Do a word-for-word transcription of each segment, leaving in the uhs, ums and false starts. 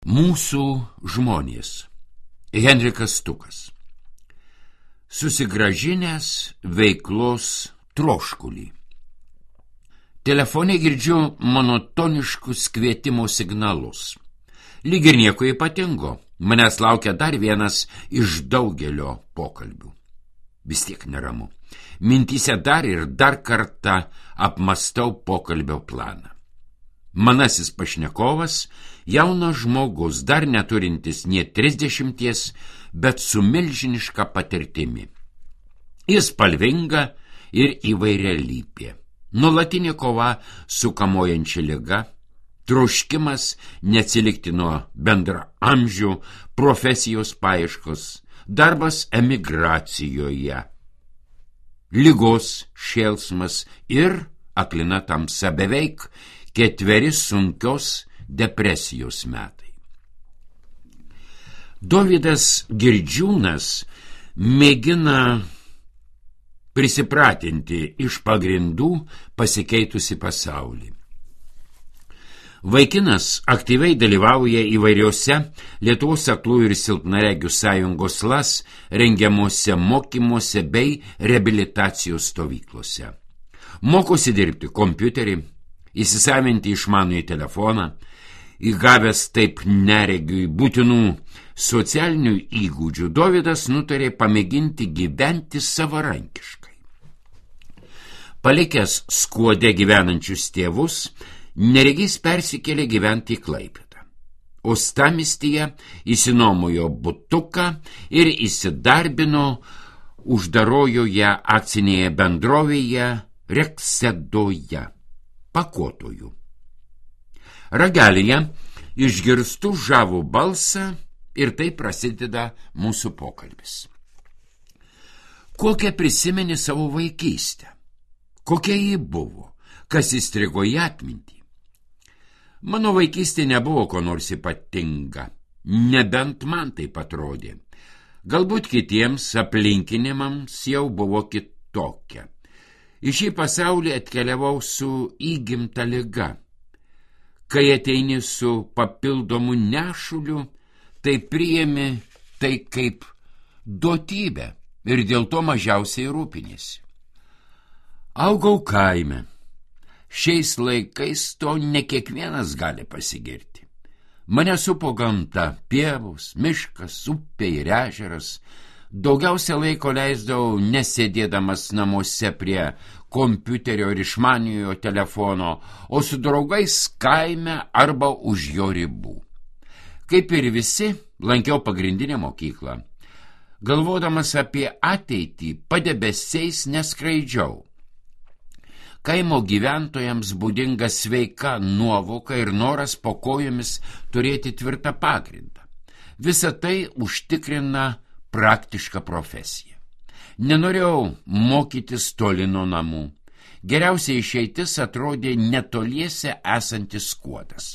Mūsų žmonės. Henrikas Stukas. Susigražinęs veiklos troškulį. Telefone girdžiu monotoniškus kvietimo signalus. Lyg ir nieko ypatingo, manęs laukia dar vienas iš daugelio pokalbių. Vis tiek neramu. Mintyse dar ir dar kartą apmastau pokalbio planą. Manasis pašnekovas, jaunas žmogus, dar neturintis nie trisdešimties, bet su milžiniška patirtimi. Jis spalvinga ir įvairialypė. Nuolatinė kova su kamuojančia liga, troškimas neatsilikti nuo bendraamžių, profesijos paieškos, darbas emigracijoje, ligos šėlsmas ir aklina tamsa, beveik ketveri sunkios depresijos metai. Dovydas Girdžiūnas mėgina prisipratinti iš pagrindų pasikeitusi pasaulį. Vaikinas aktyviai dalyvauja įvairiose Lietuvos aklųjų ir silpnaregių sąjungos LAS rengiamuose mokymuose bei reabilitacijos stovyklose. Mokosi dirbti kompiuterį, įsisavinti išmanųjį telefoną, įgavęs taip neregiui būtinų socialinių įgūdžių, Dovydas nutarė pamėginti gyventi savarankiškai. Palikęs Skuode gyvenančius tėvus, neregys persikėlė gyventi į Klaipėdą. Uostamiestyje įsinuomojo butuką ir įsidarbino uždarojoje akcinėje bendrovėje Reksedoje, pakuotojų. Ragelyje išgirstu žavų balsą ir tai prasideda mūsų pokalbis. Kokią prisimeni savo vaikystę? Kokia ji buvo? Kas įstrigo į atmintį? Mano vaikystė nebuvo ko nors ypatinga, nebent man taip atrodė. Galbūt kitiems aplinkinimams jau buvo kitokia. Į šį pasaulį atkeliavau su įgimta liga. Kai ateini su papildomu nešuliu, tai priėmi tai kaip duotybę ir dėl to mažiausiai rūpinėsi. Augau kaime. Šiais laikais to ne kiekvienas gali pasigirti. Mane supo gamta, pievos, miškas, upė ir ežeras. Daugiausia laiko leisdavau nesėdėdamas namuose prie kompiuterio ir išmaniojo telefono, o su draugais kaime arba už jo ribų. Kaip ir visi, lankiau pagrindinę mokyklą. Galvodamas apie ateitį, padebesiais neskraidžiau. Kaimo gyventojams būdinga sveika nuovoka ir noras po kojomis turėti tvirtą pagrindą. Visa tai užtikrina praktišką profesiją. Nenorėjau mokytis toli nuo namų. Geriausia išeitis atrodė netoliese esantis Skuodas.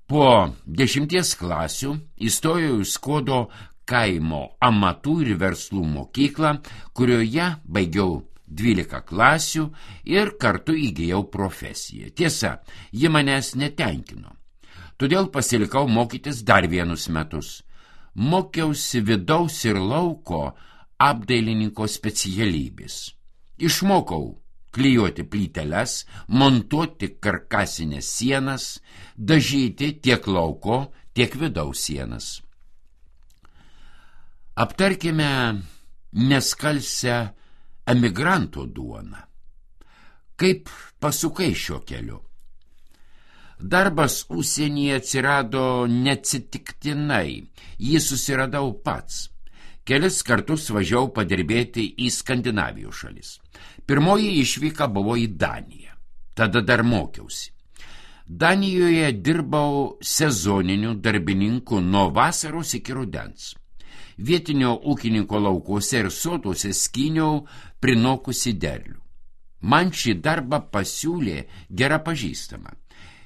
Po dešimties klasių įstojau į Skuodo kaimo amatų ir verslų mokyklą, kurioje baigiau dvylika klasių ir kartu įgijau profesiją. Tiesa, ji manęs netenkino. Todėl pasilikau mokytis dar vienus metus. Mokiausi vidaus ir lauko apdailininko specialybės. Išmokau klijuoti plyteles, montuoti karkasinės sienas, dažyti tiek lauko, tiek vidaus sienas. Aptarkime neskalsę emigranto duoną. Kaip pasukai šiuo keliu? Darbas užsienyje atsirado neatsitiktinai, jį susiradau pats. Kelis kartus važiavau padirbėti į Skandinavijos šalis. Pirmoji išvyka buvo į Daniją, tada dar mokiausi. Danijoje dirbau sezoniniu darbininku nuo vasaros iki rudens. Vietinio ūkininko laukuose ir soduose skyniau prinokusi derlių. Man šį darbą pasiūlė gera pažįstama.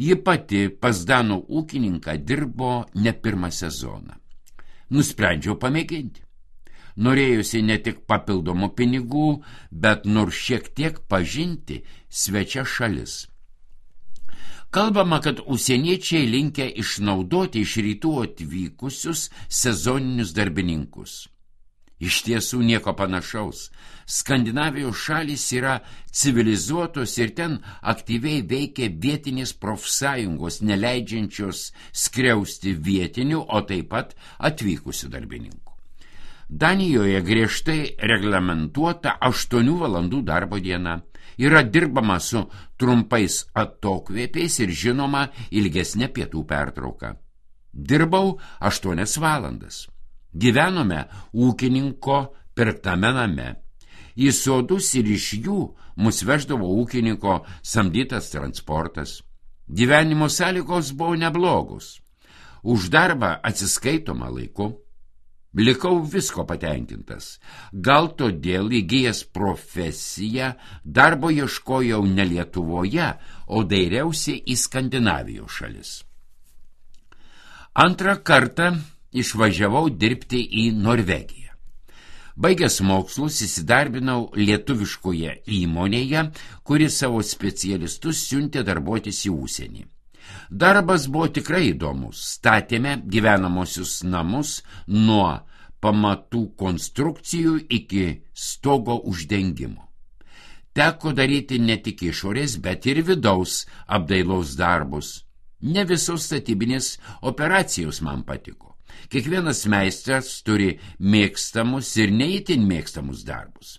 Ji pati pas danų ūkininką dirbo ne pirmą sezoną. Nusprendžiau pamėginti. Norėjusi ne tik papildomų pinigų, bet nors šiek tiek pažinti svečias šalis. Kalbama, kad užsieniečiai linkę išnaudoti iš rytų atvykusius sezoninius darbininkus. Iš tiesų nieko panašaus. Skandinavijos šalys yra civilizuotos ir ten aktyviai veikia vietinės profsąjungos, neleidžiančios skriausti vietinių, o taip pat atvykusių darbininkų. Danijoje griežtai reglamentuota aštuonių valandų darbo diena. Yra dirbama su trumpais atokvėpiais ir žinoma ilgesnė pietų pertrauka. Dirbau aštuonias valandas. Gyvenome ūkininko pirktame name. Į sodus ir iš jų mus veždavo ūkininko samdytas transportas. Gyvenimo sąlygos buvo neblogos. Už darbą atsiskaitoma laiku. Likau visko patenkintas. Gal todėl įgijęs profesiją darbo ieškojau ne Lietuvoje, o dairiausi į Skandinavijos šalis. Antrą kartą išvažiavau dirbti į Norvegiją. Baigęs mokslus įsidarbinau lietuviškoje įmonėje, kuri savo specialistus siuntė darbuotis į užsienį. Darbas buvo tikrai įdomus. Statėme gyvenamosius namus nuo pamatų konstrukcijų iki stogo uždengimo. Teko daryti ne tik išorės, bet ir vidaus apdailos darbus. Ne visos statybinės operacijos man patiko. Kiekvienas meistras turi mėgstamus ir neįtin mėgstamus darbus.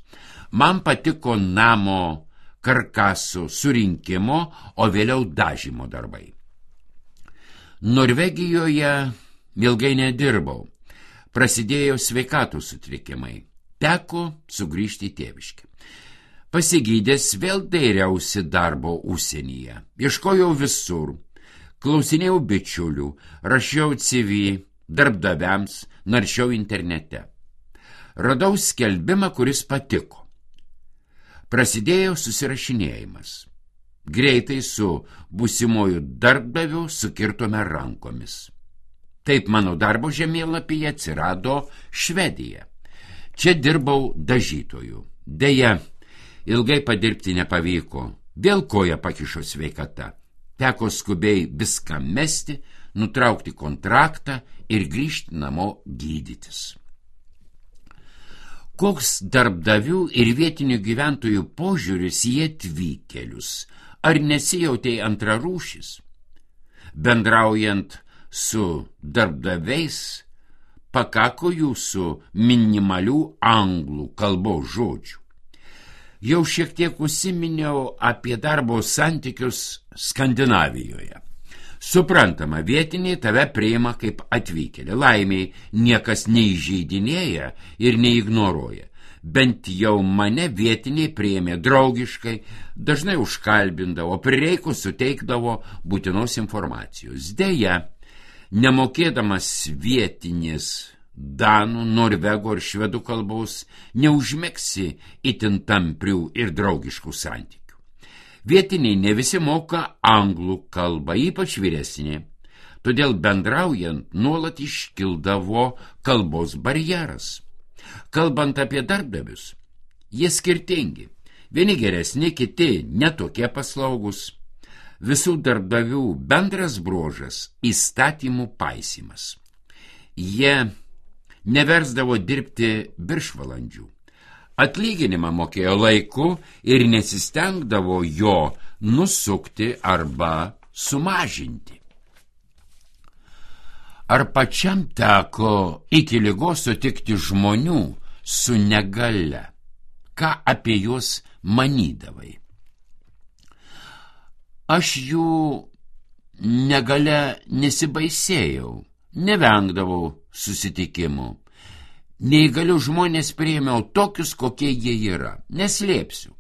Man patiko namo karkaso surinkimo, o vėliau dažymo darbai. Norvegijoje ilgai nedirbau. Prasidėjo sveikatos sutrikimai. Teko sugrįžti į tėviškę. Pasigydęs vėl dairiausi darbo užsienyje. Ieškojau visur. Klausinėjau bičiulių, rašiau C V darbdaviams, naršiau internete. Radau skelbimą, kuris patiko. Prasidėjo susirašinėjimas. Greitai su būsimuoju darbdaviu sukirtome rankomis. Taip mano darbo žemėlapyje atsirado Švedija. Čia dirbau dažytoju. Deja, ilgai padirbti nepavyko. Vėl koja pakišo sveikata. Teko skubiai viską mesti, nutraukti kontraktą ir grįžti namo gydytis. Koks darbdavių ir vietinių gyventojų požiūris į atvykėlius? Ar nesijautei antrarūšis? Bendraujant su darbdaviais, pakako jūsų minimalių anglų kalbos žodžių. Jau šiek tiek užsiminiau apie darbo santykius Skandinavijoje. Suprantama, vietiniai tave priima kaip atvykėlį. Laimiai niekas neįžeidinėja ir neignoruoja. Bent jau mane vietiniai priėmė draugiškai, dažnai užkalbindavo, prireikus suteikdavo būtinos informacijos. Deja, nemokėdamas vietinės danų, norvegų ar švedų kalbos, neužmegsi itin tamprių ir draugiškų santykių. Vietiniai ne visi moka anglų kalbą, ypač vyresnė, todėl bendraujant nuolat iškildavo kalbos barjeras. Kalbant apie darbdavius, jie skirtingi. Vieni geresni, kiti netokie paslaugus. Visų darbdavių bendras bruožas – įstatymų paisymas. Jie neversdavo dirbti viršvalandžių. Atlyginimą mokėjo laiku ir nesistengdavo jo nusukti arba sumažinti. Ar pačiam teko iki ligos sutikti žmonių su negalia? Ką apie juos manydavai? Aš jų negalia nesibaisėjau, nevengdavau susitikimų. Neįgalių žmonės priėmiau tokius, kokie jie yra, neslėpsiu.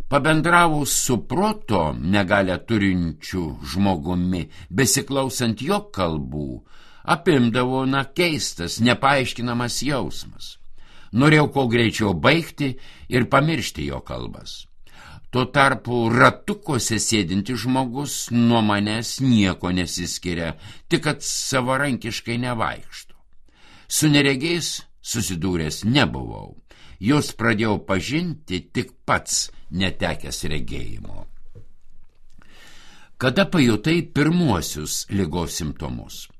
Pabendravau su proto negalią turinčiu žmogumi, besiklausant jo kalbų, apimdavo na keistas, nepaaiškinamas jausmas. Norėjau kuo greičiau baigti ir pamiršti jo kalbas. Tuo tarpu ratukuose sėdintis žmogus nuo manęs nieko nesiskiria, tik kad savarankiškai nevaikšto. Su neregiais susidūręs nebuvau. Jos pradėjau pažinti tik pats netekęs regėjimo. Kada pajutai pirmuosius ligos simptomus?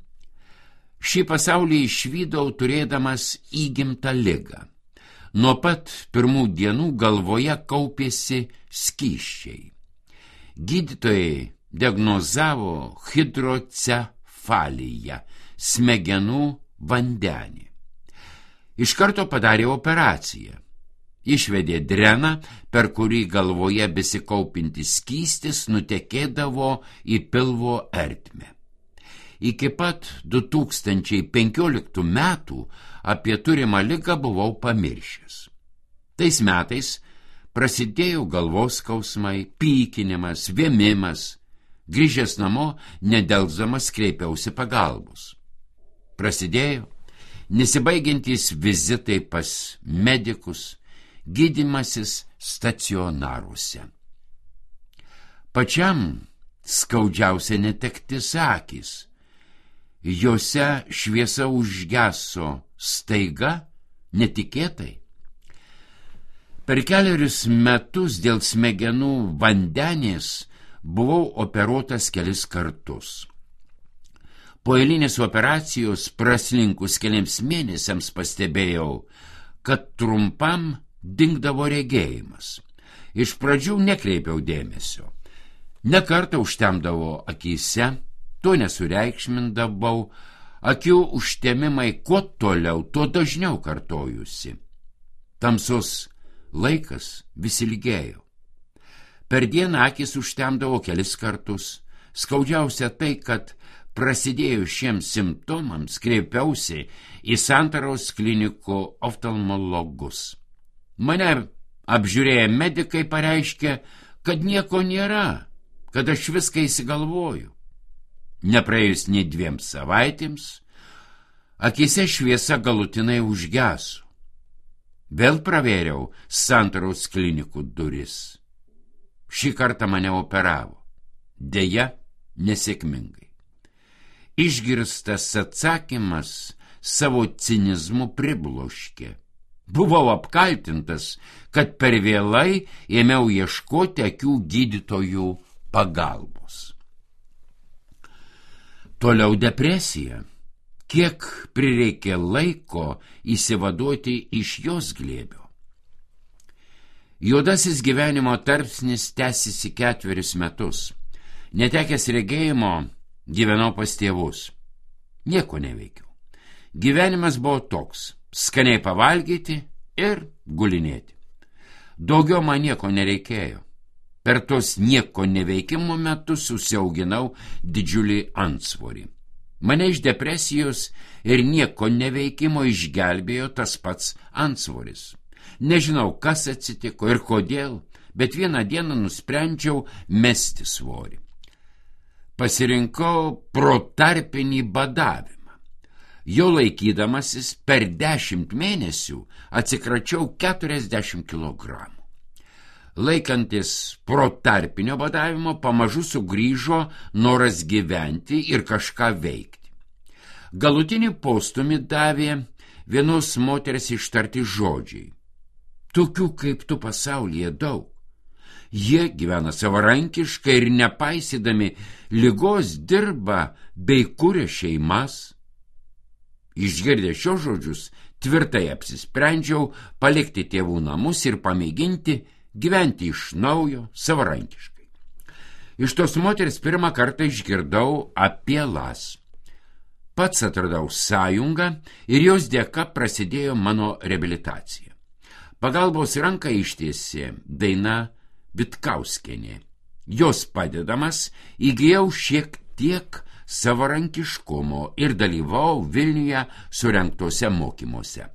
Šį pasaulį išvydau turėdamas įgimtą ligą. Nuo pat pirmų dienų galvoje kaupėsi skysčiai. Gydytojai diagnozavo hidrocefaliją, smegenų vandenį. Iš karto padarė operaciją. Išvedė dreną, per kurį galvoje besikaupintis skystis nutekėdavo į pilvo ertmę. Iki pat du tūkstančiai penkioliktų metų apie turimą ligą buvau pamiršęs. Tais metais prasidėjo galvos skausmai, pykinimas, vėmimas. Grįžęs namo, nedelsdamas kreipiausi pagalbos. Prasidėjo nesibaigiantys vizitai pas medikus, gydymasis stacionaruose. Pačiam skaudžiausia netektis akys. Jose šviesa užgeso staiga, netikėtai. Per keliarius metus dėl smegenų vandenės buvau operuotas kelis kartus. Po eilinės operacijos praslinkus keliams mėnesiams pastebėjau, kad trumpam dingdavo regėjimas. Iš pradžių nekreipiau dėmesio. Ne kartą užtemdavo akyse, to nesureikšmindavau, akių užtemimai kuo toliau, tuo dažniau kartojusi. Tamsus laikas vis ilgėjo. Per dieną akis užtemdavo kelis kartus. Skaudžiausia tai, kad prasidėjus šiems simptomams kreipiausi į Santaros klinikų oftalmologus. Mane apžiūrėję medikai pareiškė, kad nieko nėra, kad aš viską įsigalvoju. Nepraėjus nei dviem savaitėms, akyse šviesa galutinai užgeso. Vėl pravėriau Santaros klinikų duris. Šį kartą mane operavo. Deja, nesėkmingai. Išgirstas atsakymas savo cinizmu pribloškė. Buvau apkaltintas, kad per vėlai ėmiau ieškoti akių gydytojų pagalbos. Toliau depresija. Kiek prireikė laiko įsivaduoti iš jos glėbio. Juodasis gyvenimo tarpsnis tęsėsi ketverius metus. Netekęs regėjimo, gyvenau pas tėvus. Nieko neveikiau. Gyvenimas buvo toks: skaniai pavalgyti ir gulinėti. Daugiau man nieko nereikėjo. Per tos nieko neveikimo metus susiauginau didžiulį antsvorį. Mane iš depresijos ir nieko neveikimo išgelbėjo tas pats antsvoris. Nežinau, kas atsitiko ir kodėl, bet vieną dieną nusprendžiau mesti svorį. Pasirinkau protarpinį badavimą. Jo laikydamasis per dešimt mėnesių atsikračiau keturiasdešimt kilogramų. Laikantis protarpinio badavimo pamažu sugrįžo noras gyventi ir kažką veikti. Galutinį postūmį davė vienos moters ištarti žodžiai: tokių kaip tu pasaulyje daug. Jie gyvena savarankiškai ir nepaisydami ligos dirba bei kuria šeimas. Išgirdęs šios žodžius, tvirtai apsisprendžiau palikti tėvų namus ir pamėginti gyventi iš naujo savarankiškai. Iš tos moters pirmą kartą išgirdau apie las. Pats atradau sąjungą ir jos dėka prasidėjo mano reabilitacija. Pagalbos ranką ištiesė Daina Vitkauskienė. Jos padedamas įgijau šiek tiek savarankiškumo ir dalyvau Vilniuje surengtose mokymuose.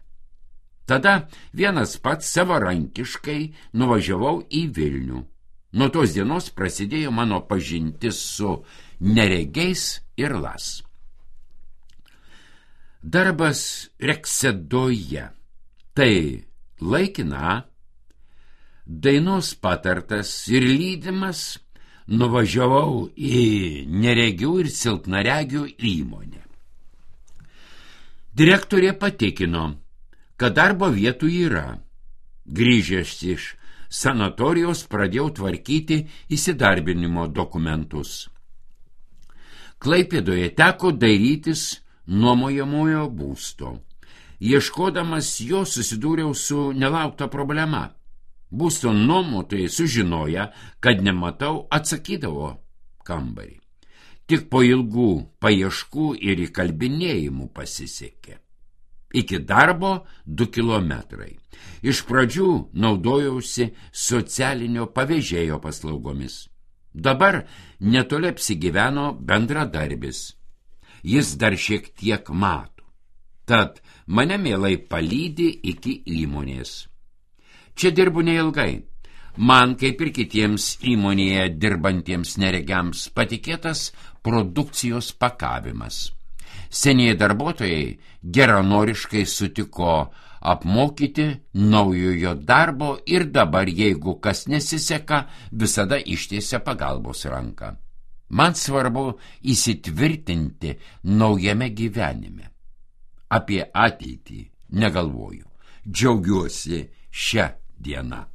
Tada vienas pats savarankiškai nuvažiavau į Vilnių. Nuo tos dienos prasidėjo mano pažintis su neregiais ir las. Darbas Reksėdoje. Tai laikina. Dainos patartas ir lydimas nuvažiavau į neregių ir silpnaregių įmonę. Direktorė patikino, kad darbo vietų yra. Grįžęs iš sanatorijos pradėjau tvarkyti įsidarbinimo dokumentus. Klaipėdoje teko dairytis nuomojamojo būsto. Ieškodamas jo susidūriau su nelaukta problema. Būsto nuomotojai sužinoję, kad nematau, atsakydavo kambarį. Tik po ilgų paieškų ir įkalbinėjimų pasisekė. Iki darbo du kilometrai. Iš pradžių naudojausi socialinio pavėžėjo paslaugomis. Dabar netoli apsigyveno bendradarbis. Jis dar šiek tiek mato. Tad mane mielai palydi iki įmonės. Čia dirbu neilgai. Man, kaip ir kitiems įmonėje dirbantiems neregiams, patikėtas produkcijos pakavimas. Senieji darbuotojai geranoriškai sutiko apmokyti naujojo darbo ir dabar, jeigu kas nesiseka, visada ištiesia pagalbos ranką. Man svarbu įsitvirtinti naujame gyvenime. Apie ateitį negalvoju. Džiaugiuosi šią dieną.